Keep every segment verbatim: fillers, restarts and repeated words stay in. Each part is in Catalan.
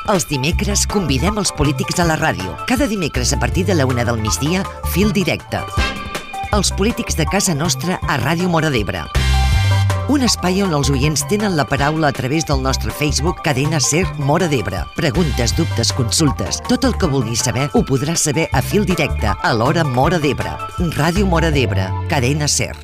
Els dimecres convidem els polítics a la ràdio. Cada dimecres a partir de la una del migdia, Fil Directe. Els polítics de casa nostra a Ràdio Móra d'Ebre. Un espai on els oients tenen la paraula a través del nostre Facebook Cadena Ser Móra d'Ebre. Preguntes, dubtes, consultes, tot el que vulguis saber ho podràs saber a Fil Directe a l'hora Móra d'Ebre. Ràdio Móra d'Ebre, Cadena Ser.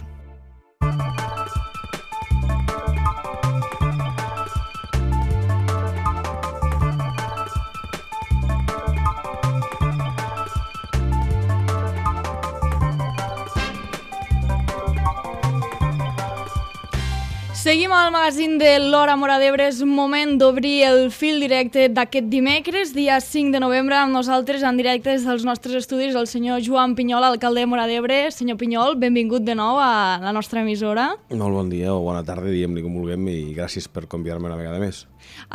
Seguim al magazín de l'Hora Móra d'Ebre. És moment d'obrir el fil directe d'aquest dimecres, dia cinc de novembre, amb nosaltres en directe des dels nostres estudis el senyor Joan Pinyol, alcalde de Móra d'Ebre. Senyor Pinyol, benvingut de nou a la nostra emissora. Molt bon dia o bona tarda, diguem-li com vulguem, i gràcies per convidar-me una vegada més.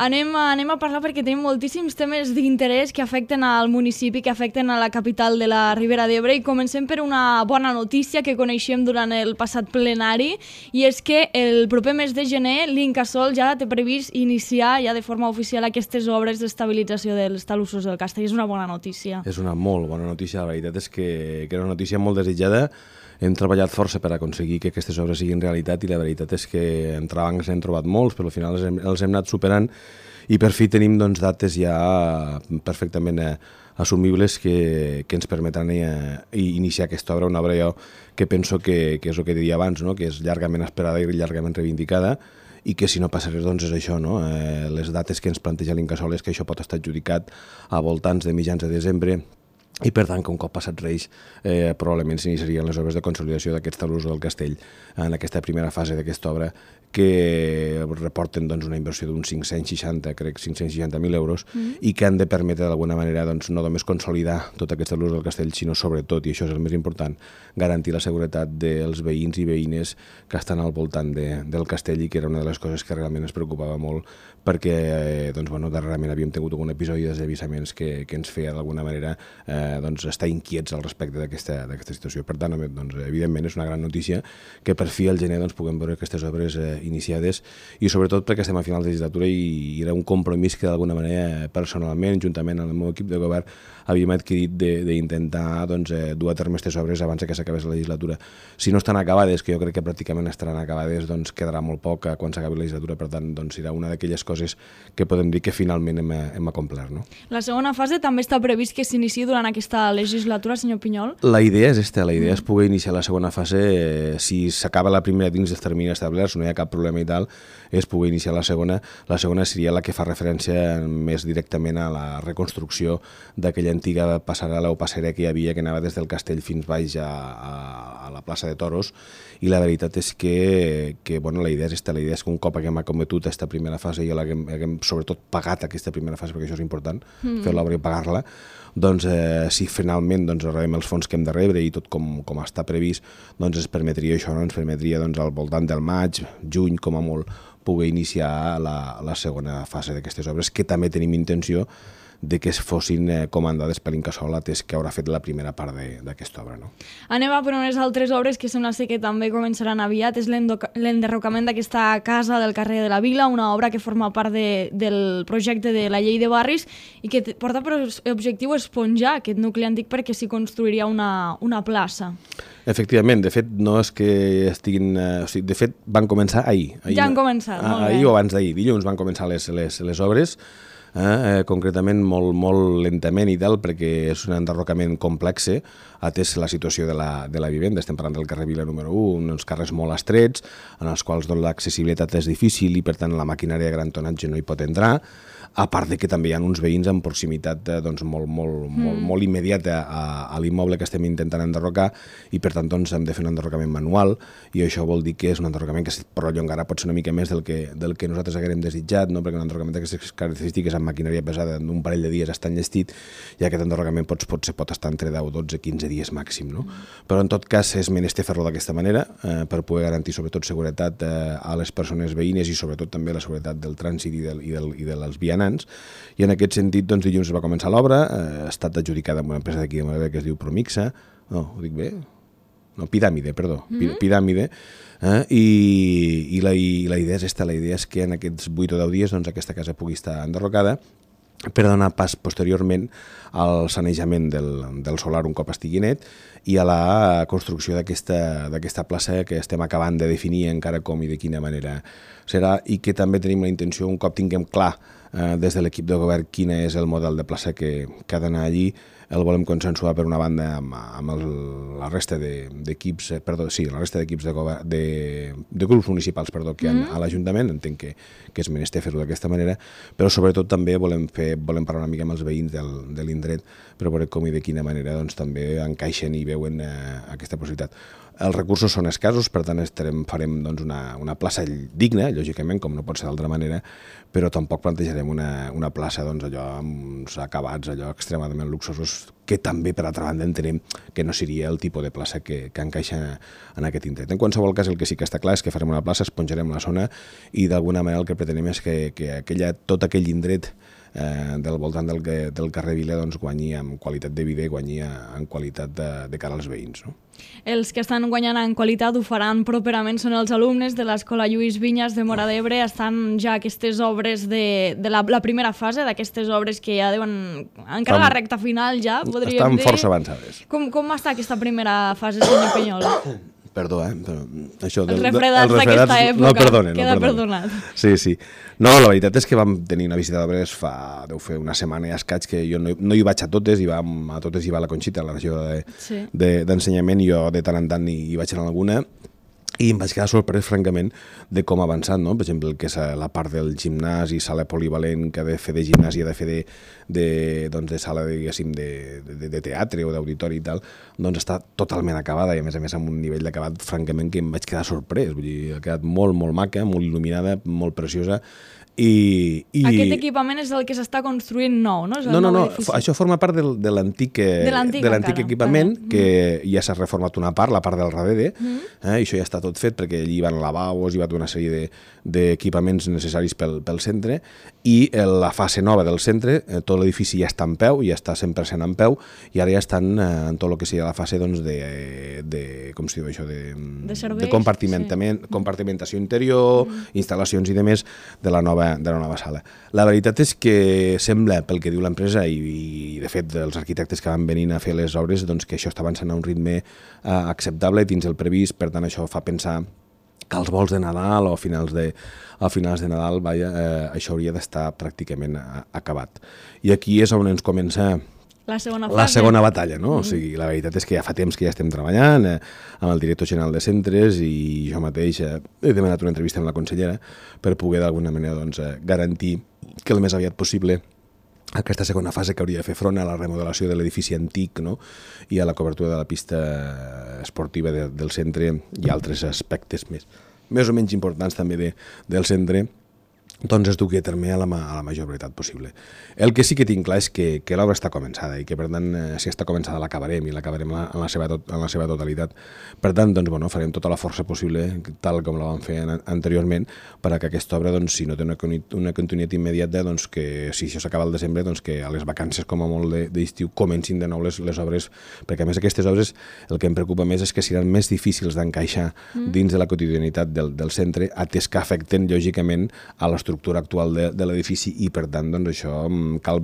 Anem, anem a parlar perquè tenim moltíssims temes d'interès que afecten al municipi, que afecten a la capital de la Ribera d'Ebre, i comencem per una bona notícia que coneixem durant el passat plenari, i és que el proper mes de gener l'Incasòl ja té previst iniciar ja de forma oficial aquestes obres d'estabilització dels talussos del Castell. És una bona notícia. És una molt bona notícia, la veritat és que, que era una notícia molt desitjada. Hem treballat força per aconseguir que aquestes obres siguin realitat i la veritat és que entrebancs n'hem trobat molts, però al final els hem, els hem anat superant i per fi tenim doncs, dates ja perfectament eh, assumibles que, que ens permetran eh, iniciar aquesta obra, una obra jo que penso que, que és el que diria abans, no? Que és llargament esperada i llargament reivindicada i que si no passa res doncs és això, no? Eh, les dates que ens planteja l'Incasòl és que això pot estar adjudicat a voltants de mitjans de desembre i per tant que un cop passat Reis eh, probablement s'iniciarien les obres de consolidació d'aquests talussos del castell en aquesta primera fase d'aquesta obra que reporten doncs, una inversió d'uns cinc-cents seixanta, crec, cinc-cents seixanta mil euros mm. i que han de permetre d'alguna manera doncs, no només consolidar tot aquest talús del castell, sinó sobretot, i això és el més important, garantir la seguretat dels veïns i veïnes que estan al voltant de, del castell i que era una de les coses que realment ens preocupava molt perquè eh, doncs, bueno, darrerament havíem tingut algun episodi de desavissaments que, que ens feia d'alguna manera eh, doncs, estar inquiets al respecte d'aquesta situació. Per tant, doncs, evidentment és una gran notícia que per fi al gener doncs, puguem veure aquestes obres eh, iniciades i sobretot perquè estem a final de legislatura i era un compromís que d'alguna manera personalment, juntament amb el meu equip de govern, havíem adquirit d'intentar doncs, eh, dur a terme aquestes obres abans que s'acabés la legislatura. Si no estan acabades, que jo crec que pràcticament estaran acabades, doncs quedarà molt poc quan s'acabi la legislatura, per tant doncs, serà una d'aquelles coses que podem dir que finalment hem, hem acomplert. No? La segona fase també està previst que s'iniciï durant aquesta legislatura, senyor Pinyol? La idea és esta, la idea és poder iniciar la segona fase, eh, si s'acaba la primera dins dels terminis establerts, no hi ha cap problema i tal, és poder iniciar la segona. La segona seria la que fa referència més directament a la reconstrucció d'aquella antiga passarel·la o passerella que hi havia, que anava des del castell fins baix a, a, a la plaça de Toros, i la veritat és que, que bueno, la idea és esta, la idea és que un cop haguem acometut aquesta primera fase i haguem, haguem sobretot pagat aquesta primera fase, perquè això és important, mm. fer l'obra i pagar-la, doncs eh, si finalment doncs, rebem els fons que hem de rebre i tot com, com està previst, doncs ens permetria això, no? Ens permetria doncs, al voltant del maig, juny, com a molt, poder iniciar la, la segona fase d'aquestes obres, que també tenim intenció de que es fossin eh, comandades per l'Incasòl, atès que haurà fet la primera part d'aquesta obra. No? Anem a per unes altres obres que sembla ser que també començaran aviat. És l'enderrocament d'aquesta casa del carrer de la Vila, una obra que forma part de, del projecte de la llei de barris i que porta per objectiu esponjar aquest nucli antic perquè s'hi construiria una, una plaça. Efectivament, de fet, no és que estiguin... Eh, o sigui, de fet, van començar ahir. ahir ja han començat, ah, molt bé. Ahir o abans d'ahir, dilluns van començar les, les, les obres, eh, eh, concretament molt, molt lentament i tal, perquè és un enderrocament complex, atès la situació de la, de la vivenda. Estem parlant del carrer Vila número u, uns carrers molt estrets, en els quals doncs, l'accessibilitat és difícil i, per tant, la maquinària de gran tonatge no hi pot entrar, a part de que també hi ha uns veïns en proximitat doncs, molt, molt, mm. molt, molt immediata a, a l'immoble que estem intentant enderrocar i per tant doncs, hem de fer un enderrocament manual i això vol dir que és un enderrocament que es prolongarà potser una mica més del que, del que nosaltres haguem desitjat, no? Perquè un enderrocament d'aquestes característiques amb maquinària pesada d'un parell de dies està enllestit i aquest enderrocament pot, potser pot estar entre deu, dotze, quinze dies màxim. No? Mm. Però en tot cas és menester fer-lo d'aquesta manera eh, per poder garantir sobretot seguretat eh, a les persones veïnes i sobretot també la seguretat del trànsit i, del, i, del, i dels vianants. I en aquest sentit, doncs, dilluns va començar l'obra, eh, ha estat adjudicada amb una empresa d'aquí de Móra d'Ebre que es diu Promixa, no, ho dic bé? No, Piràmide, perdó, mm-hmm. Piràmide, eh, i, i, la, i la idea és esta, la idea és que en aquests vuit o deu dies doncs, aquesta casa pugui estar enderrocada per donar pas posteriorment al sanejament del, del solar un cop estigui net i a la construcció d'aquesta plaça que estem acabant de definir encara com i de quina manera serà, i que també tenim la intenció, un cop tinguem clar eh, des de l'equip de govern quin és el model de plaça que, que ha d'anar allí, el volem consensuar per una banda amb, amb el, la resta d'equips, de, perdó, sí, la resta d'equips de, de, de grups municipals perdó, que hi ha mm. a l'Ajuntament, entenc que, que és menester fer-ho d'aquesta manera, però sobretot també volem, fer, volem parlar una mica amb els veïns del, de l'indret per veure com i de quina manera doncs, també encaixen i veuen eh, aquesta possibilitat. Els recursos són escassos, per tant estarem, farem doncs, una, una plaça digna, lògicament, com no pot ser d'altra manera, però tampoc plantejarem una, una plaça doncs, allò amb uns acabats allò extremadament luxosos, que també, per altra banda, entenem que no seria el tipus de plaça que, que encaixa en aquest indret. En qualsevol cas, el que sí que està clar és que farem una plaça, esponjarem la zona i d'alguna manera el que pretenem és que, que aquella, tot aquell indret eh, del voltant del, del carrer Vila doncs, guanyi en qualitat de vida i guanyi en qualitat de, de cara als veïns, no? Els que estan guanyant en qualitat ho faran properament, són els alumnes de l'Escola Lluís Vinyes de Móra d'Ebre. Estan ja aquestes obres de, de la, la primera fase, d'aquestes obres que ja deuen... Encara estan, la recta final ja, podríem estan dir... Estan força avançades. Com, com està aquesta primera fase, senyor Penyol? Perdó, eh? Però això del, els refredats d'aquesta època, no, perdone, queda no, perdonat. Sí, sí. No, la veritat és que vam tenir una visita d'obres fa, deu fer una setmana i escaig, que jo no, no hi vaig a totes, i vam, a totes hi va la Conxita, la regió d'ensenyament, de, de, i jo de tant en tant hi, hi vaig anar a alguna, i em vaig quedar sorprès, francament, de com ha avançat, no? Per exemple, que és la part del gimnàs i sala polivalent que ha de fer de gimnàs i ha de fer de, de, doncs de sala, diguéssim, de, de, de teatre o d'auditori i tal, doncs està totalment acabada i, a més a més, amb un nivell d'acabat, francament, que em vaig quedar sorprès. Vull dir, ha quedat molt, molt maca, molt il·luminada, molt preciosa. I, i... Aquest equipament és el que s'està construint nou, no? És el no, no, no, edifici. Això forma part del, de l'antic equipament, vale. Que ja s'ha reformat una part, la part del darrere, mm. eh, i això ja està tot fet, perquè allí hi van lavabos, hi va una sèrie d'equipaments de, necessaris pel, pel centre, i la fase nova del centre, eh, tot l'edifici ja està en peu, ja està cent per cent en peu, i ara ja estan eh, en tot el que seria la fase doncs, de, de, com es diu això, de, de, serveis, de compartimentament, sí. compartimentació interior, mm. instal·lacions i demés de la nova de la nova sala. La veritat és que sembla, pel que diu l'empresa i, i de fet els arquitectes que van venint a fer les obres, doncs que això està avançant a un ritme eh, acceptable dins el previst, per tant això fa pensar que als vols de Nadal o a finals de, a finals de Nadal vaja, eh, això hauria d'estar pràcticament a, acabat. I aquí és on ens comença La segona, la segona batalla, no? Mm-hmm. O sigui, la veritat és que ja fa temps que ja estem treballant eh, amb el director general de centres i jo mateix eh, he demanat una entrevista amb la consellera per poder d'alguna manera doncs, eh, garantir que el més aviat possible aquesta segona fase que hauria de fer front a la remodelació de l'edifici antic, no? I a la cobertura de la pista esportiva de, del centre i altres aspectes més, més o menys importants també de, del centre, doncs es dugui a terme a la, a la major brevetat possible. El que sí que tinc clar és que, que l'obra està començada i que, per tant, eh, si està començada l'acabarem i l'acabarem en, la seva tot, en la seva totalitat. Per tant, doncs, bueno, farem tota la força possible, tal com la vam fer an anteriorment, per a que aquesta obra, doncs, si no té una, una continuïtat immediata, doncs, que si això s'acaba al desembre, doncs, que a les vacances, com a molt d'estiu, comencin de nou les, les obres, perquè, a més, aquestes obres, el que em preocupa més és que seran més difícils d'encaixar mm. dins de la quotidianitat del, del centre, atès que afecten, lògicament, a l'estructura l'estructura actual de, de l'edifici i, per tant, doncs, això cal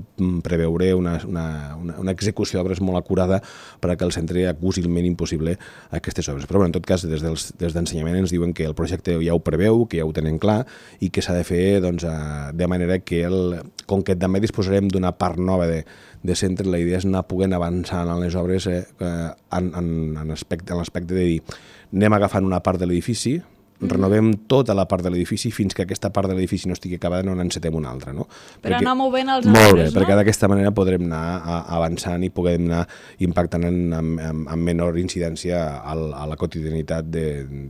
preveure una, una, una, una execució d'obres molt acurada per a que el centre acusi el mínim possible aquestes obres. Però, bueno, en tot cas, des dels, des d'ensenyament ens diuen que el projecte ja ho preveu, que ja ho tenen clar i que s'ha de fer doncs, de manera que, el, com que també disposarem d'una part nova de, de centre, la idea és anar poguent avançant en les obres eh, en, en, en l'aspecte de dir anem agafant una part de l'edifici, renovem tota la part de l'edifici fins que aquesta part de l'edifici no estigui acabada, no n'encetem una altra. No? Per perquè, anar movent els arbres, molt bé, no? Perquè d'aquesta manera podrem anar avançant i podrem anar impactant en, en, en, en menor incidència al, a la quotidianitat de,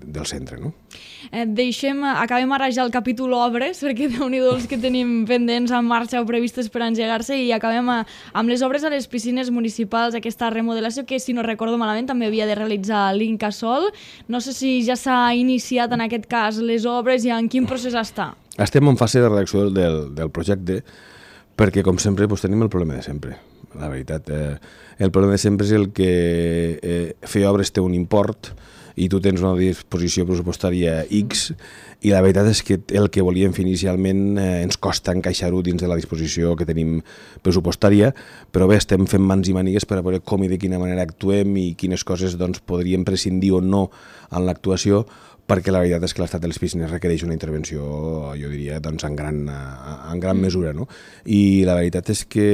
del centre. No? Eh, deixem, acabem ara ja el capítol obres, perquè déu-n'hi-do els que tenim pendents en marxa o previstes per engegar-se, i acabem a, amb les obres a les piscines municipals, aquesta remodelació que, si no recordo malament, també havia de realitzar l'Incasòl. No sé si ja s'ha iniciat en aquest cas les obres i en quin procés està? Estem en fase de redacció del, del projecte perquè, com sempre, doncs, tenim el problema de sempre. La veritat, eh, el problema de sempre és el que eh, fer obres té un import i tu tens una disposició pressupostària X i la veritat és que el que volíem fer inicialment eh, ens costa encaixar-ho dins de la disposició que tenim pressupostària, però bé, estem fent mans i mànigues per a veure com i de quina manera actuem i quines coses doncs, podríem prescindir o no en l'actuació, perquè la veritat és que l'estat dels piscines requereix una intervenció, jo diria, doncs, en gran, en gran mesura, no? I la veritat és que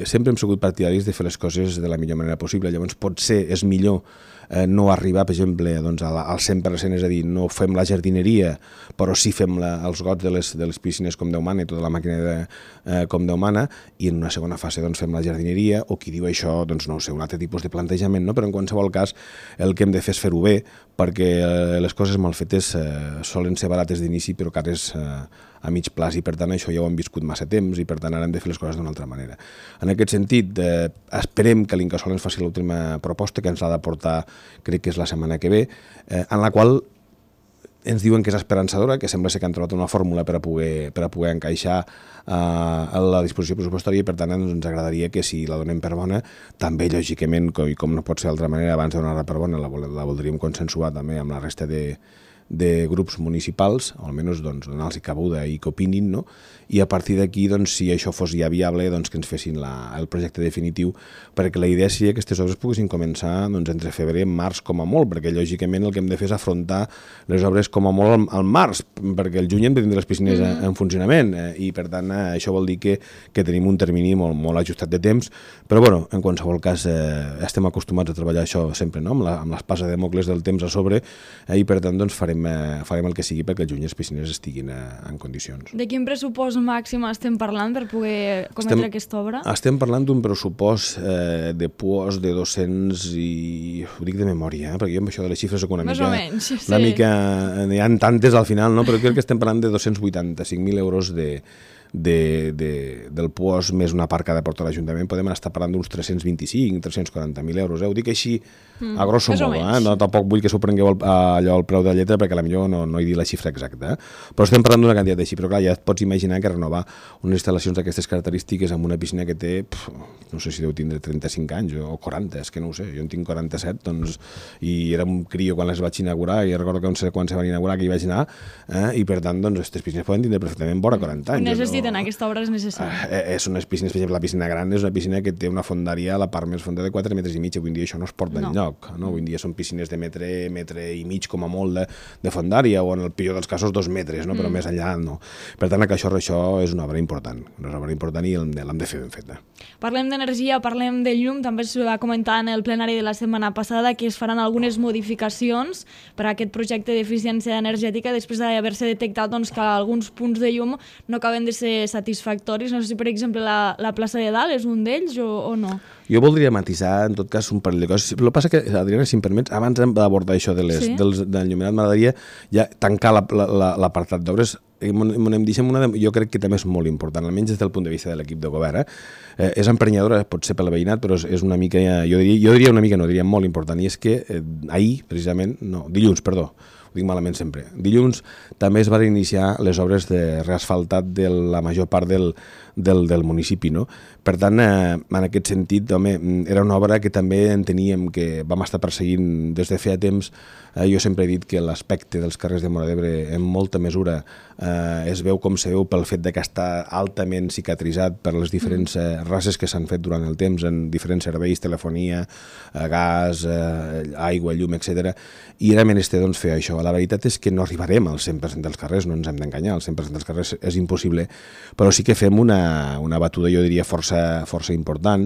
sempre hem sigut partidaris de fer les coses de la millor manera possible, llavors potser és millor eh, no arribar, per exemple, doncs, al cent per cent, és a dir, no fem la jardineria, però sí fem la, els gots de les, de les piscines com Déu mana i tota la màquina de, eh, com Déu mana, i en una segona fase doncs, fem la jardineria, o qui diu això, doncs no ho sé, un altre tipus de plantejament, no? Però en qualsevol cas el que hem de fer és fer-ho bé, perquè eh, les coses mal fetes eh, solen ser barates d'inici però cares eh, a mig plaç, i per tant això ja ho hem viscut massa temps i per tant ara hem de fer les coses d'una altra manera. En aquest sentit, eh, esperem que l'Incasòl ens faci l'última proposta, que ens l'ha de portar, crec que és la setmana que ve, eh, en la qual ens diuen que és esperançadora, que sembla ser que han trobat una fórmula per a poder, per a poder encaixar eh, a la disposició pressupostària, i per tant ens agradaria que si la donem per bona, també lògicament, i com no pot ser d'altra manera, abans de donar-la per bona la, la voldríem consensuar també amb la resta de, de grups municipals, o almenys doncs, donar-los cabuda i que opinin, no? I a partir d'aquí, doncs, si això fos ja viable, doncs, que ens fessin la, el projecte definitiu, perquè la idea seria que aquestes obres poguessin començar doncs, entre febrer i març com a molt, perquè lògicament el que hem de fer és afrontar les obres com a molt al, al març, perquè el juny hem de tindre les piscines mm. en funcionament, eh, i per tant eh, això vol dir que, que tenim un termini molt, molt ajustat de temps, però bueno, en qualsevol cas eh, estem acostumats a treballar això sempre, no? amb, la, amb l'espasa de Dèmocles del temps a sobre, eh, i per tant doncs, farem, eh, farem el que sigui perquè el juny les piscines estiguin eh, en condicions. De quin pressupost màxim estem parlant per poder cometre estem, aquesta obra? Estem parlant d'un pressupost eh, de puos de dos-cents i... ho dic de memòria, eh, perquè jo amb això de les xifres soc una Més mica... Més o menys, sí. Una mica... N'hi ha tantes al final, no? Però crec que estem parlant de dos-cents vuitanta-cinc mil euros de... De, de, del puos més una part que ha de portar l'Ajuntament, podem estar parlant d'uns tres-cents vint-i-cinc, tres-cents quaranta mil euros. Eh? Ho dic així mm, a grosso modo, eh? No, tampoc vull que s'ho prengueu el, allò al preu de la lletra perquè potser no, no he dit la xifra exacta. Eh? Però estem parlant d'una quantitat així, però clar, ja et pots imaginar que renovar unes instal·lacions d'aquestes característiques amb una piscina que té, pf, no sé si deu tindre trenta-cinc anys o quaranta, és que no ho sé, jo en tinc quaranta-set, doncs, i era un crio quan les vaig inaugurar, i recordo que quan se van inaugurar que hi vaig anar, eh? I per tant, doncs, aquestes piscines poden tindre perfectament vora quaranta anys. Necessiten no? Aquesta obra és necessària. Eh, són unes piscines, per exemple, la piscina gran és una piscina que té una fondària a la part més fonda de quatre metres i mig, avui en dia això no es porta no. enlloc, no? Avui en dia són piscines de metre, metre i mig com a molt de, de fondària, o en el pitjor dels casos dos metres, no? Però mm. més enllà no. Per tant, això, això és una obra important, una obra important i l'hem de fer ben feta. Parlem d'energia, parlem de llum, també es va comentar en el plenari de la setmana passada que es faran algunes modificacions per a aquest projecte d'eficiència energètica després d'haver-se detectat doncs, que alguns punts de llum no acaben de ser satisfactoris. No sé si, per exemple, la, la plaça de Dalt és un d'ells o, o no. Jo voldria matisar, en tot cas, un parell de coses. El que passa que, Adriana, si em permets, abans d'abordar això de les, sí? dels, del llumenat, m'agradaria ja tancar l'apartat la, la, d'obres. M'hem dit una de, jo crec que també és molt important, almenys des del punt de vista de l'equip de govern. Eh? Eh, és emprenyadora, pot ser pel veïnat, però és, és una mica, jo diria, jo diria una mica, no diria molt important, i és que eh, ahir, precisament, no, dilluns, perdó, ho dic malament sempre. Dilluns també es van iniciar les obres de reasfaltat de la major part del, del, del municipi, no? Per tant, eh, en aquest sentit, home, era una obra que també enteníem que vam estar perseguint des de feia temps. Eh, jo sempre he dit que l'aspecte dels carrers de Móra d'Ebre en molta mesura eh, es veu com se veu pel fet de que està altament cicatritzat per les diferents eh, races que s'han fet durant el temps en diferents serveis, telefonia, eh, gas, eh, aigua, llum, etcètera. I era menester doncs, fer això. La veritat és que no arribarem al cent per cent dels carrers, no ens hem d'enganyar, al cent per cent dels carrers és impossible, però sí que fem una, una batuda, jo diria, força, força important,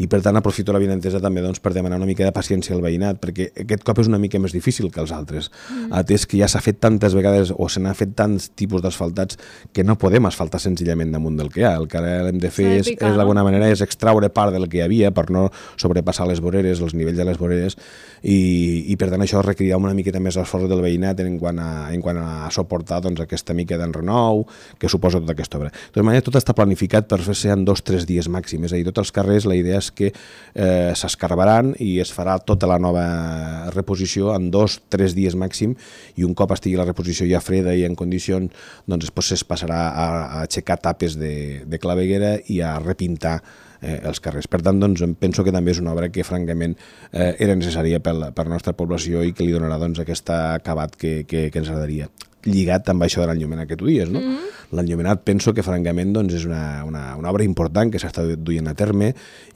i per tant aprofito la benentesa també doncs, per demanar una mica de paciència al veïnat, perquè aquest cop és una mica més difícil que els altres, mm. atès que ja s'ha fet tantes vegades o se n'ha fet tants tipus d'asfaltats que no podem asfaltar senzillament damunt del que hi ha. El que ara hem de fer és, és d'alguna manera és extraure part del que hi havia per no sobrepassar les voreres, els nivells de les voreres, i, i per tant això requerirà una miqueta més esforç del veïnat veïnat en quant a, en quant a suportar doncs, aquesta mica d'enrenou que suposa tota aquesta obra. De tota manera, tot està planificat per fer-se en dos o tres dies màxim, és a dir, tots els carrers la idea és que eh, s'escarbaran i es farà tota la nova reposició en dos o tres dies màxim i un cop estigui la reposició ja freda i en condicions, doncs després es passarà a, a aixecar tapes de, de claveguera i a repintar eh, els carrers. Per tant, doncs, penso que també és una obra que, francament, eh, era necessària per la, per la nostra població i que li donarà doncs, aquest acabat que, que, que ens agradaria. Lligat amb això de l'enllumenat que tu dies, no? Mm-hmm. L'enllumenat penso que, francament, doncs, és una, una, una obra important que s'està duient a terme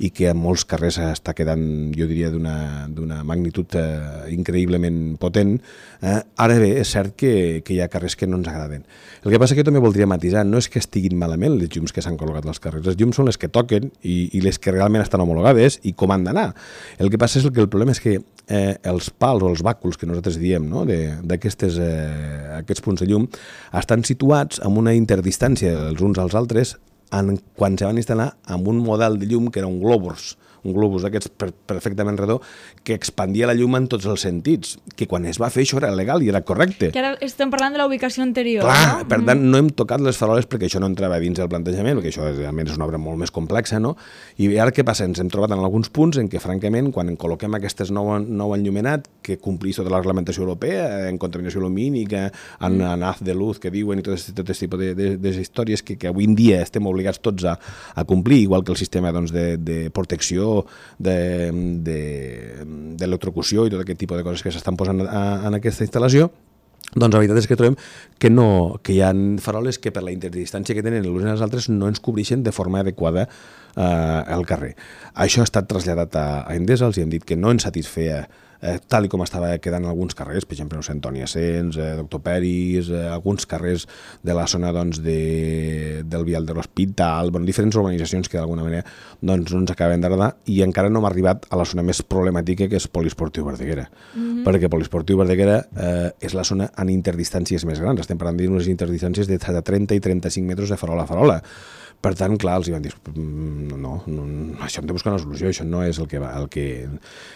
i que en molts carrers està quedant, jo diria, d'una magnitud eh, increïblement potent. Eh? Ara bé, és cert que, que hi ha carrers que no ens agraden. El que passa que jo també voldria matisar, no és que estiguin malament les llums que s'han col·locat als carrers, les llums són les que toquen i, i les que realment estan homologades i com han d'anar. El que passa és que el problema és que eh, els pals o els bàculs que nosaltres diem, no? d'aquestes eh, aquests punts de llum estan situats amb una interdistància els uns als altres en, quan se van instal·lar amb un model de llum que era un globus, un globus d'aquests per, perfectament redó que expandia la llum en tots els sentits, que quan es va fer això era legal i era correcte. Que ara estem parlant de la ubicació anterior, Clar, no? Per tant, no hem tocat les faroles perquè això no entrava dins del plantejament, perquè això realment és una obra molt més complexa, no? I ara què passa? Ens hem trobat en alguns punts en què, francament, quan en col·loquem aquestes nou, nou enllumenat que complís tota la reglamentació europea, en contaminació lumínica, en, mm. en haz de luz que diuen i tot aquest tot tipus de, de, de històries que, que avui en dia estem obligats tots a, a complir, igual que el sistema doncs, de, de protecció d'electrocució i tot aquest tipus de coses que s'estan posant a, en aquesta instal·lació, doncs la veritat és que trobem que, no, que hi ha faroles que per la interdistància que tenen l'uns i els altres no ens cobreixen de forma adequada eh, al carrer. Això ha estat traslladat a, a Endesa, els hi hem dit que no ens satisfeia Eh, tal com estava quedant alguns carrers, per exemple, Sant Antoni Ascens, eh, Doctor Peris, eh, alguns carrers de la zona doncs, de, del vial de l'Hospital, bueno, diferents urbanitzacions que d'alguna manera doncs, no ens acaben d'agradar i encara no hem arribat a la zona més problemàtica que és Poliesportiu Verdaguera, mm-hmm. perquè Poliesportiu Verdaguera eh, és la zona en interdistàncies més grans, estem parlant d'unes interdistàncies de trenta i trenta-cinc metres de farola a farola. Per tant, clar, els hi van dir, no, no, això hem de buscar una solució, això no és el que, va, el que,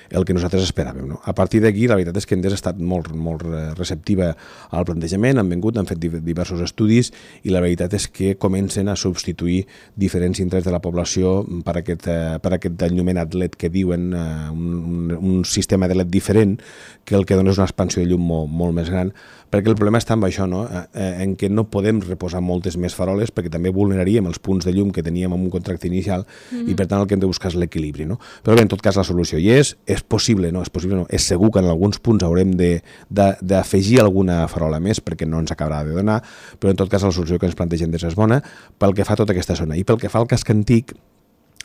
el que nosaltres esperàvem. No? A partir d'aquí, la veritat és que Endesa ha estat molt, molt receptiva al plantejament, han vingut, han fet diversos estudis i la veritat és que comencen a substituir diferents indrets de la població per aquest, per aquest enllumenat L E D que diuen, un, un sistema de L E D diferent, que el que dona és una expansió de llum molt, molt més gran, perquè el problema està amb això, no? En què no podem reposar moltes més faroles perquè també vulneraríem els punts de llum que teníem en un contracte inicial mm-hmm. i per tant el que hem de buscar és l'equilibri, no? Però bé, en tot cas la solució hi és, és possible, no? És possible, no? És segur que en alguns punts haurem d'afegir alguna farola més perquè no ens acabarà de donar, però en tot cas la solució que ens plantegem és bona pel que fa a tota aquesta zona. I pel que fa al casc antic,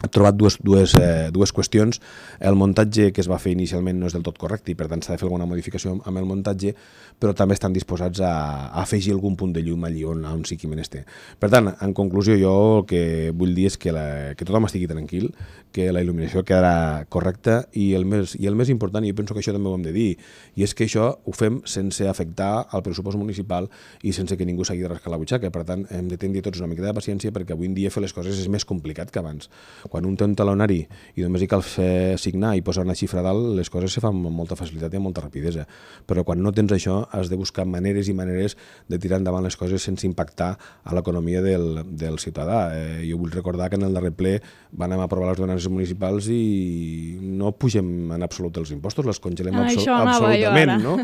he trobat dues, dues, eh, dues qüestions. El muntatge que es va fer inicialment no és del tot correcte i per tant s'ha de fer alguna modificació amb el muntatge, però també estan disposats a, a afegir algun punt de llum allí on, on sigui menester. Per tant, en conclusió, jo el que vull dir és que, la, que tothom estigui tranquil, que la il·luminació quedarà correcta i el, més, i el més important, i jo penso que això també ho hem de dir, i és que això ho fem sense afectar al pressupost municipal i sense que ningú s'hagi de rascar la butxaca. Per tant, hem de tenir tots una mica de paciència perquè avui en dia fer les coses és més complicat que abans. Quan un té un talonari i només hi cal fer signar i posar una xifra dalt, les coses se fan amb molta facilitat i amb molta rapidesa. Però quan no tens això, has de buscar maneres i maneres de tirar endavant les coses sense impactar a l'economia del, del ciutadà. Eh, jo vull recordar que en el darrer ple van aprovar les ordenances municipals i no pugem en absolut els impostos, les congelem ah, absol absolutament. No?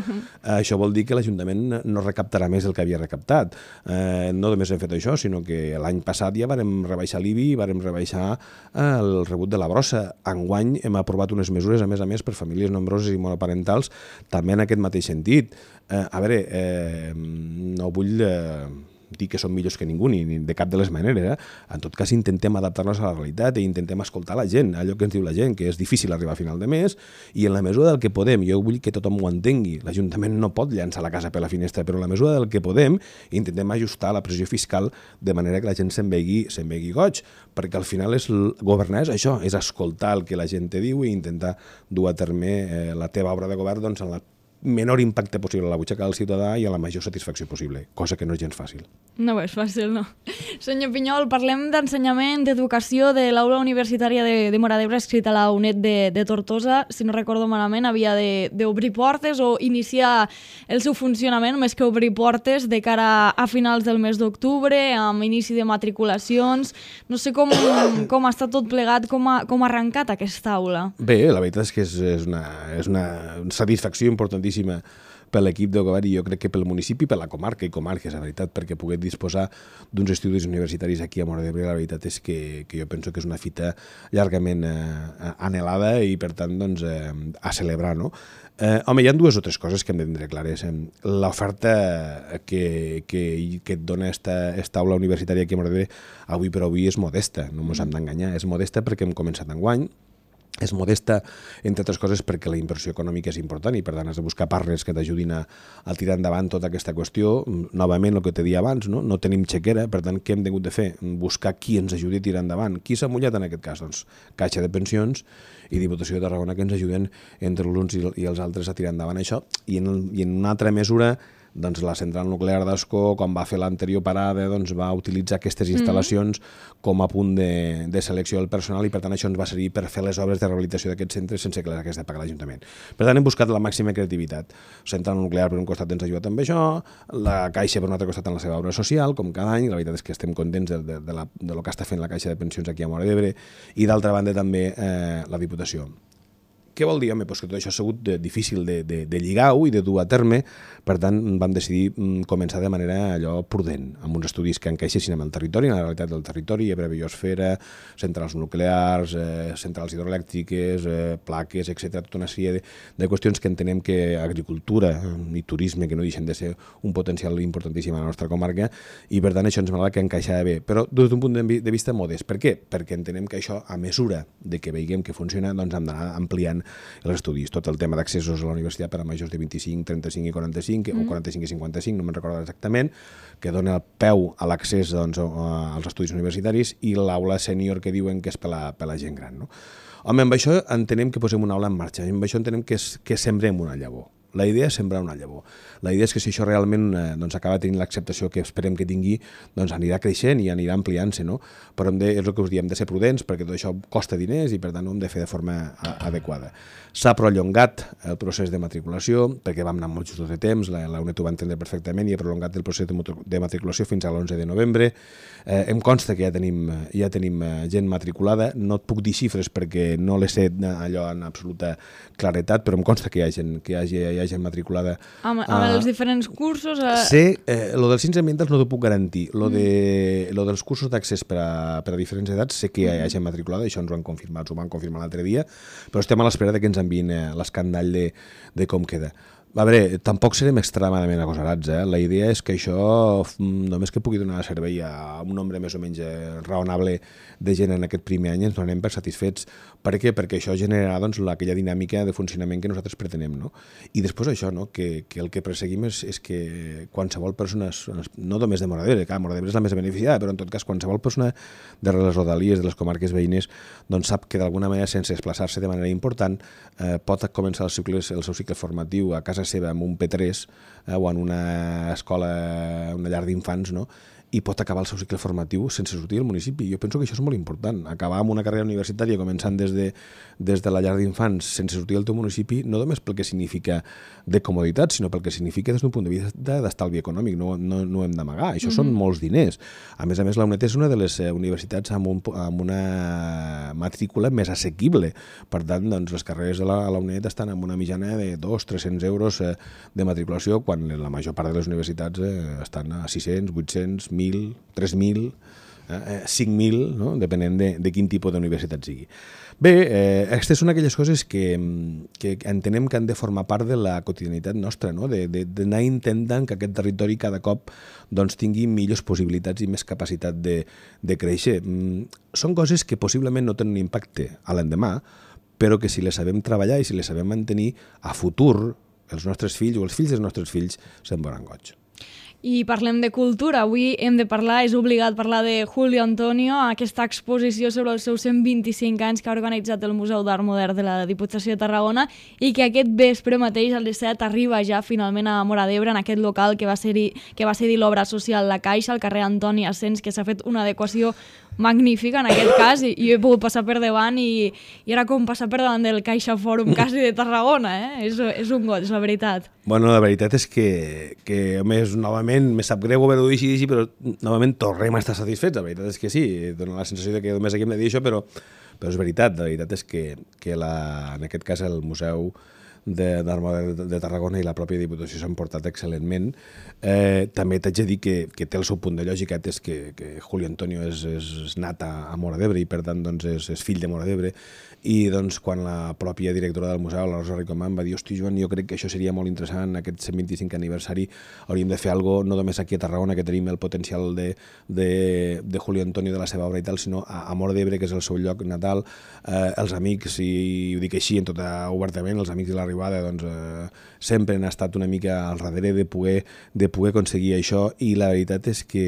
Això vol dir que l'Ajuntament no recaptarà més del que havia recaptat. Eh, no només hem fet això, sinó que l'any passat ja vàrem rebaixar l'I B I, vàrem rebaixar el rebut de la brossa. Enguany hem aprovat unes mesures, a més a més, per famílies nombroses i monoparentals, també en aquest mateix sentit. Eh, a veure, eh, no vull eh, dir que són millors que ningú, ni, ni de cap de les maneres. Eh? En tot cas, intentem adaptar-nos a la realitat i intentem escoltar la gent, allò que ens diu la gent, que és difícil arribar a final de mes, i en la mesura del que podem, jo vull que tothom ho entengui, l'Ajuntament no pot llançar la casa per la finestra, però en la mesura del que podem, intentem ajustar la pressió fiscal de manera que la gent se'n vegi, se'n vegi goig, perquè al final és governar és això, és escoltar el que la gent te diu i intentar dur a terme eh, la teva obra de govern doncs, en la menor impacte possible a la butxaca del ciutadà i a la major satisfacció possible, cosa que no és gens fàcil. No és fàcil, no. Senyor Pinyol, parlem d'ensenyament, d'educació de l'aula universitària de, de Móra d'Ebre escrita a la UNED de, de Tortosa. Si no recordo malament, havia d'obrir portes o iniciar el seu funcionament, més que obrir portes, de cara a finals del mes d'octubre, amb inici de matriculacions. No sé com, com ha estat tot plegat, com ha, com ha arrencat aquesta aula. Bé, la veritat és que és, és, una, és una satisfacció importantíssima per l'equip de govern i jo crec que pel municipi, per la comarca i comarques, la veritat, perquè poder disposar d'uns estudis universitaris aquí a Móra d'Ebre, la veritat és que, que jo penso que és una fita llargament eh, anhelada i, per tant, doncs, eh, a celebrar, no? Eh, home, hi ha dues o tres coses que hem de tindre clares. L'oferta que, que, que et dona esta, esta aula universitària aquí a Móra d'Ebre avui per avui és modesta, no ens hem d'enganyar, és modesta perquè hem començat enguany, és modesta, entre altres coses, perquè la inversió econòmica és important i, per tant, has de buscar partners que t'ajudin a, a tirar endavant tota aquesta qüestió. Novament, el que te dia abans, no? No tenim xequera, per tant, què hem hagut de fer? Buscar qui ens ajudi a tirar endavant. Qui s'ha mullat en aquest cas? Doncs Caixa de Pensions i Diputació de Tarragona, que ens ajuden entre els uns i els altres a tirar endavant això. I en, el, i en una altra mesura, doncs la central nuclear d'Ascó, quan va fer l'anterior parada, doncs va utilitzar aquestes instal·lacions mm. com a punt de, de selecció del personal i, per tant, això ens va servir per fer les obres de rehabilitació d'aquests centres sense que les hagués de pagar l'Ajuntament. Per tant, hem buscat la màxima creativitat. La central nuclear, per un costat, ens ha ajudat amb això, la Caixa, per un altre costat, en la seva obra social, com cada any, i la veritat és que estem contents de, de, de, la, de lo que està fent la Caixa de Pensions aquí a Móra d'Ebre, i, d'altra banda, també eh, la Diputació. Què vol dir? Home, doncs que tot això ha sigut de, difícil de, de, de lligar-ho i de dur a terme, per tant vam decidir començar de manera allò prudent, amb uns estudis que encaixessin amb el territori, amb la realitat del territori, Ebre Biosfera, centrals nuclears, eh, centrals hidroelèctriques, eh, plaques, etcètera, tota una sèrie de, de qüestions que entenem que agricultura i turisme, que no deixen de ser un potencial importantíssim a la nostra comarca, i per tant això ens m'agrada que encaixava bé, però des d'un punt de vista modest. Per què? Perquè entenem que això, a mesura de que veiem que funciona, doncs hem d'anar ampliant els estudis. Tot el tema d'accessos a la universitat per a majors de vint-i-cinc, trenta-cinc i quaranta-cinc, mm. o quaranta-cinc i cinquanta-cinc, no me'n recordo exactament, que dona peu a l'accés doncs, als estudis universitaris, i l'aula sènior que diuen que és per la, per la gent gran. No? Home, amb això entenem que posem una aula en marxa, amb això entenem que, és, que sembrem una llavor. La idea és sembrar una llavor. La idea és que si això realment eh, doncs acaba tenint l'acceptació que esperem que tingui, doncs anirà creixent i anirà ampliant-se, no? Però hem de, és el que us diem, hem de ser prudents perquè tot això costa diners i per tant ho hem de fer de forma a, adequada. S'ha prolongat el procés de matriculació perquè vam anar molt justos de temps, la, la UNED ho va entendre perfectament i ha prolongat el procés de, de matriculació fins a l'onze de novembre. Eh, em consta que ja tenim, ja tenim gent matriculada, no et puc dir xifres perquè no les sé allò en absoluta claretat, però em consta que hi ha gent, que hi hagi, hi ha gent matriculada. Amb, amb uh, els diferents cursos... A... Sé, eh, lo dels ciències ambientals no t'ho puc garantir. Lo, de, lo dels cursos d'accés per, per a diferents edats sé que hi ha gent matriculada, això ens ho han confirmat, ho van confirmar l'altre dia, però estem a l'espera que ens enviïn eh, l'escandall de, de com queda. A veure, tampoc serem extremadament agosarats, eh? La idea és que això, només que pugui donar servei a un nombre més o menys raonable de gent en aquest primer any, ens donem per satisfets. Per què? Perquè això generarà doncs, aquella dinàmica de funcionament que nosaltres pretenem, no? I després això, no? que, que el que perseguim és, és que qualsevol persona, no només de Móra d'Ebre, clar, Móra d'Ebre és la més beneficiada, però en tot cas qualsevol persona de les rodalies, de les comarques veïnes, doncs sap que d'alguna manera, sense desplaçar-se de manera important, eh, pot començar el, cicle, el seu cicle formatiu a casa seva amb un P tres eh, o en una escola, una llar d'infants, no? I pot acabar el seu cicle formatiu sense sortir del municipi. Jo penso que això és molt important. Acabar amb una carrera universitària començant des de, des de la llar d'infants sense sortir del teu municipi, no només pel que significa de comoditat, sinó pel que significa des d'un punt de vista d'estalvi econòmic. No, no, no ho hem d'amagar. Això mm-hmm. són molts diners. A més a més, la UNED és una de les universitats amb, un, amb una matrícula més assequible. Per tant, doncs, les carreres de la, la UNED estan amb una mitjana de dos a tres-cents euros eh, de matriculació, quan la major part de les universitats eh, estan a sis-cents, vuit-cents, mil, tres mil, eh, cinc mil, no? Depenent de, de quin tipus d'universitat sigui. Bé, eh, aquestes són aquelles coses que, que entenem que han de formar part de la quotidianitat nostra, no? D'anar intentant que aquest territori cada cop doncs, tingui millors possibilitats i més capacitat de, de créixer. Són coses que possiblement no tenen impacte a l'endemà, però que si les sabem treballar i si les sabem mantenir, a futur els nostres fills o els fills dels nostres fills se'n veuran goig. I parlem de cultura. Avui hem de parlar, és obligat parlar de Julio Antonio, aquesta exposició sobre els seus cent vint-i-cinc anys que ha organitzat el Museu d'Art Modern de la Diputació de Tarragona i que aquest vespre mateix, a les set, arriba ja finalment a Móra d'Ebre, en aquest local que va cedir, que va cedir l'obra social La Caixa, al carrer Antoni Asens, que s'ha fet una adequació magnífica en aquest cas, i, i he pogut passar per davant i, i era com passar per davant del Caixa Fòrum quasi de Tarragona, eh? És, és un goig, la veritat. Bueno, la veritat és que, que a més, novament, me sap greu haver-ho dit així, però novament tornem a estar satisfets. La veritat és que sí, dona la sensació de que només aquí hem de dir això, però, però és veritat. La veritat és que, que la, en aquest cas el Museu d'Art Modern de, de Tarragona i la pròpia Diputació s'han portat excel·lentment. Eh, també t'haig de dir que, que té el seu punt de lògica, és que, que Julio Antonio és, és nat a, a Móra d'Ebre i per tant doncs, és, és fill de Móra d'Ebre, i doncs, quan la pròpia directora del museu, la Rosa Ricomà, va dir, hosti Joan, jo crec que això seria molt interessant, aquest cent vint-i-cinc aniversari hauríem de fer alguna cosa, no només aquí a Tarragona, que tenim el potencial de, de, de Julio Antonio, de la seva obra i tal, sinó a, a Móra d'Ebre, que és el seu lloc natal, eh, els amics, i ho dic així en tot obertament, els amics de l'arribada doncs, eh, sempre han estat una mica al darrere de poder, de poder aconseguir això, i la veritat és que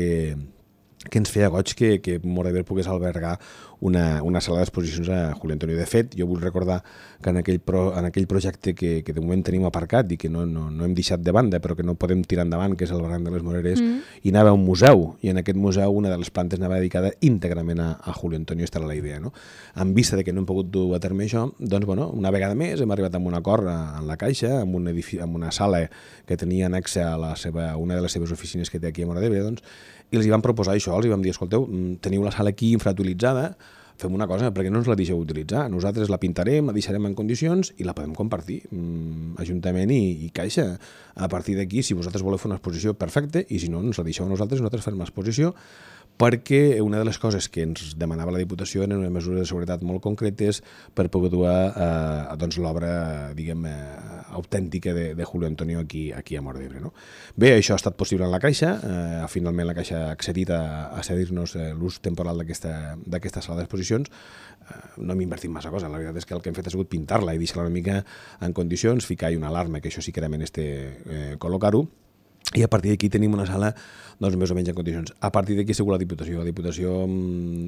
que ens feia goig que, que Móra d'Ebre pogués albergar una, una sala d'exposicions a Julio Antonio. De fet, jo vull recordar que en aquell, pro, en aquell projecte que, que de moment tenim aparcat i que no, no, no hem deixat de banda, però que no podem tirar endavant, que és el Barranc de les Moreres, mm. hi anava un museu, i en aquest museu una de les plantes anava dedicada íntegrament a, a Julio Antonio, aquesta era la idea, no? En vista de que no hem pogut dur a terme això, doncs, bueno, una vegada més hem arribat amb un acord en la Caixa, amb, un edifici, amb una sala que tenia anexa a la seva, una de les seves oficines que té aquí a Móra d'Ebre, doncs, i els hi vam proposar això, els hi vam dir, escolteu, teniu la sala aquí infrautilitzada, fem una cosa, perquè no ens la deixeu utilitzar? Nosaltres la pintarem, la deixarem en condicions i la podem compartir, mm, Ajuntament i, i Caixa. A partir d'aquí, si vosaltres voleu fer una exposició, perfecte, i si no, ens la deixeu a nosaltres, nosaltres farem l'exposició, perquè una de les coses que ens demanava la Diputació eren unes mesures de seguretat molt concretes per poder dur a, a doncs, l'obra, diguem, autèntica de, de Julio Antonio aquí, aquí a Móra d'Ebre, no? Bé, això ha estat possible en la Caixa, eh, finalment la Caixa ha accedit a, a cedir-nos eh, l'ús temporal d'aquesta sala d'exposicions. Eh, no hem invertit massa cosa, la veritat és que el que hem fet ha sigut pintar-la i deixar-la una mica en condicions, ficar-hi una alarma, que això sí que era menester eh, col·locar-ho, i a partir d'aquí tenim una sala doncs, més o menys en condicions. A partir d'aquí segur la Diputació. La Diputació,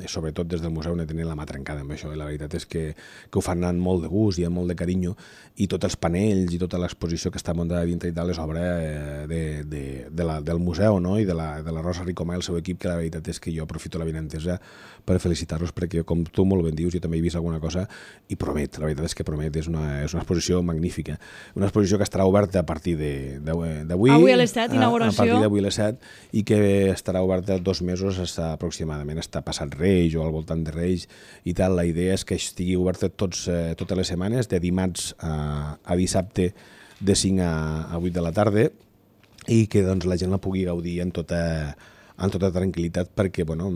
sobretot des del museu, ne tenen la mà trencada amb això, i la veritat és que, que ho fan amb molt de gust i amb molt de carinyo, i tots els panells i tota l'exposició que està muntada dintre i tal és obra de, de, de la, del museu, no? I de la, de la Rosa Ricomà i el seu equip, que la veritat és que jo aprofito la benentesa per felicitar-los, perquè com tu molt ben dius, jo també he vist alguna cosa i promet, la veritat és que promet, és una, és una exposició magnífica. Una exposició que estarà oberta a partir d'avui. Avui a les set, inauguració. A partir d'avui a les set, i que estarà oberta dos mesos està aproximadament, està passat Reis o al voltant de Reis i tal. La idea és que estigui oberta tots, eh, totes les setmanes, de dimarts a, a dissabte de cinc a, a vuit de la tarda, i que doncs, la gent la pugui gaudir en tota, en tota tranquil·litat, perquè bueno,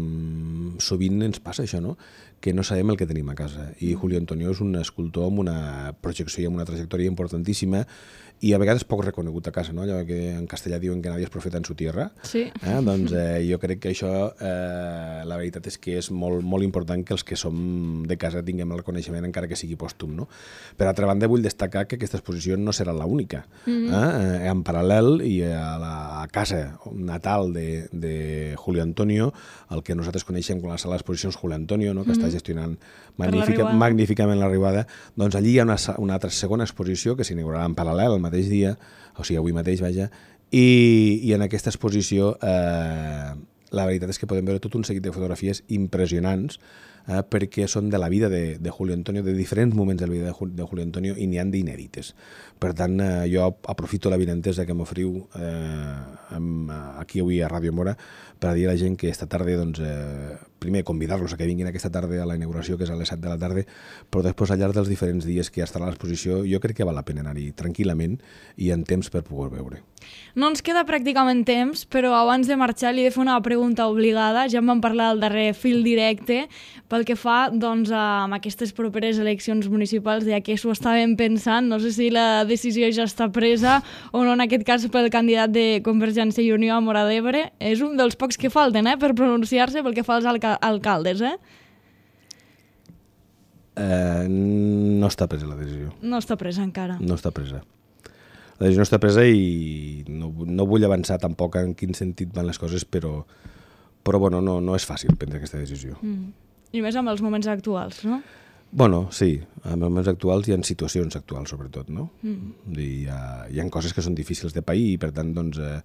sovint ens passa això, no? Que no sabem el que tenim a casa, i Julio Antonio és un escultor amb una projecció i amb una trajectòria importantíssima, i a vegades poc reconegut a casa, no? Allò que en castellà diuen que nadie és profeta en su tierra. Sí. Eh? Doncs eh, jo crec que això, eh, la veritat és que és molt, molt important que els que som de casa tinguem el reconeixement, encara que sigui pòstum, no? Per altra banda, vull destacar que aquesta exposició no serà l'única. Mm-hmm. eh? En paral·lel, i a la a casa natal de, de Julio Antonio, el que nosaltres coneixem com la sala d'exposicions Julio Antonio, no? Que mm-hmm. està gestionant magnífica, magníficament l'arribada, doncs allí hi ha una, una altra segona exposició que s'inaugurarà en paral·lel el mateix dia, o sigui, avui mateix, vaja, i, i en aquesta exposició eh, la veritat és que podem veure tot un seguit de fotografies impressionants, eh, perquè són de la vida de, de Julio Antonio, de diferents moments de la vida de, de Julio Antonio, i n'hi han d'inèdites. Per tant, eh, jo aprofito la benentesa que m'oferiu eh, aquí avui a Ràdio Móra per a dir a la gent que esta tarda, doncs, eh, primer convidar-los a que vinguin aquesta tarda a la inauguració, que és a les set de la tarda, però després al llarg dels diferents dies que ja estarà l'exposició, jo crec que val la pena anar-hi tranquil·lament i en temps per poder veure. No ens queda pràcticament temps, però abans de marxar li he de fer una pregunta obligada. Ja en vam parlar al darrer fil directe, pel que fa doncs, a aquestes properes eleccions municipals, ja que s'ho estàvem pensant, no sé si la decisió ja està presa o no, en aquest cas pel candidat de Convergència i Unió a Móra d'Ebre. És un dels pocs que falten eh, per pronunciar-se pel que fa als alca alcaldes, eh? Eh, no està presa la decisió. No està presa encara. No està presa. la decisió no està presa i no, no vull avançar tampoc en quin sentit van les coses, però, però bueno, no, no és fàcil prendre aquesta decisió. Mm. I més amb els moments actuals, no? Bueno, sí, en els moments actuals i en situacions actuals, sobretot, no? Mm. I hi, ha, hi ha coses que són difícils de pair i, per tant, doncs, eh,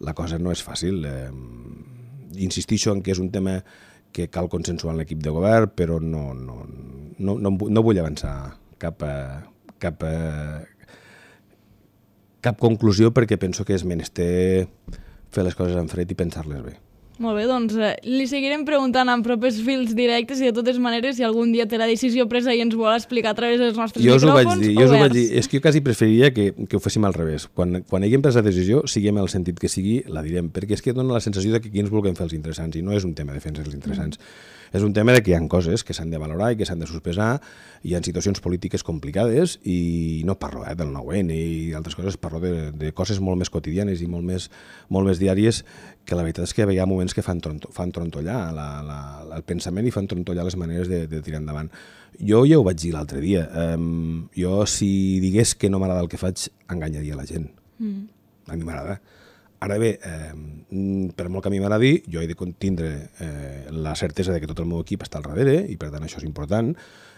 la cosa no és fàcil. Eh, insistixo en que és un tema que cal consensuar en l'equip de govern, però no, no, no, no, no vull avançar cap a, cap a, cap conclusió perquè penso que és menester fer les coses en fred i pensar-les bé. Molt bé, doncs eh, li seguirem preguntant en propers fils directes i de totes maneres si algun dia té la decisió presa i ens vol explicar a través dels nostres jo micròfons, vaig dir, jo ho vaig dir, és que jo quasi preferiria que, que ho féssim al revés. Quan, quan haguem pres la decisió, siguem el sentit que sigui, la direm, perquè és que dona la sensació de que aquí ens vulguem fer els interessants i no és un tema de fer els interessants. Mm. És un tema de que hi ha coses que s'han de valorar i que s'han de sospesar, hi ha situacions polítiques complicades i no parlo eh, del nou ene i altres coses, parlo de, de coses molt més quotidianes i molt més, molt més diàries, que la veritat és que hi ha moments que fan, tronto, fan trontollar la, la, el pensament i fan trontollar les maneres de, de tirar endavant. Jo ja ho vaig dir l'altre dia, um, jo si digués que no m'agrada el que faig, enganyaria la gent. Mm. A mi m'agrada. Ara bé, eh, per molt que a mi m'agradi, jo he de tindre eh, la certesa de que tot el meu equip està al darrere i per tant això és important,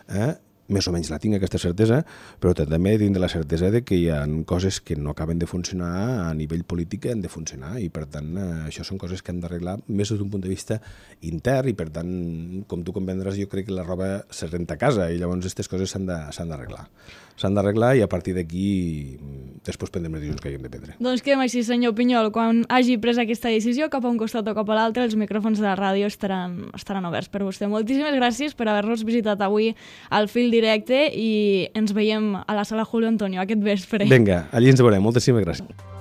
eh? Més o menys la tinc aquesta certesa, però també he de tindre la certesa de que hi ha coses que no acaben de funcionar a nivell polític que han de funcionar i per tant eh, això són coses que han d'arreglar més des d'un punt de vista intern i per tant, com tu comprendràs, jo crec que la roba se renta a casa i llavors aquestes coses s'han d'arreglar. S'han d'arreglar i a partir d'aquí després prendrem les decisions que haguem de prendre. Doncs quedem així, senyor Pinyol. Quan hagi pres aquesta decisió, cap a un costat o cap a l'altre, els micròfons de la ràdio estaran, estaran oberts per vostè. Moltíssimes gràcies per haver-nos visitat avui al Fil Directe i ens veiem a la sala Julio Antonio aquest vespre. Vinga, allí ens veurem. Moltíssimes gràcies.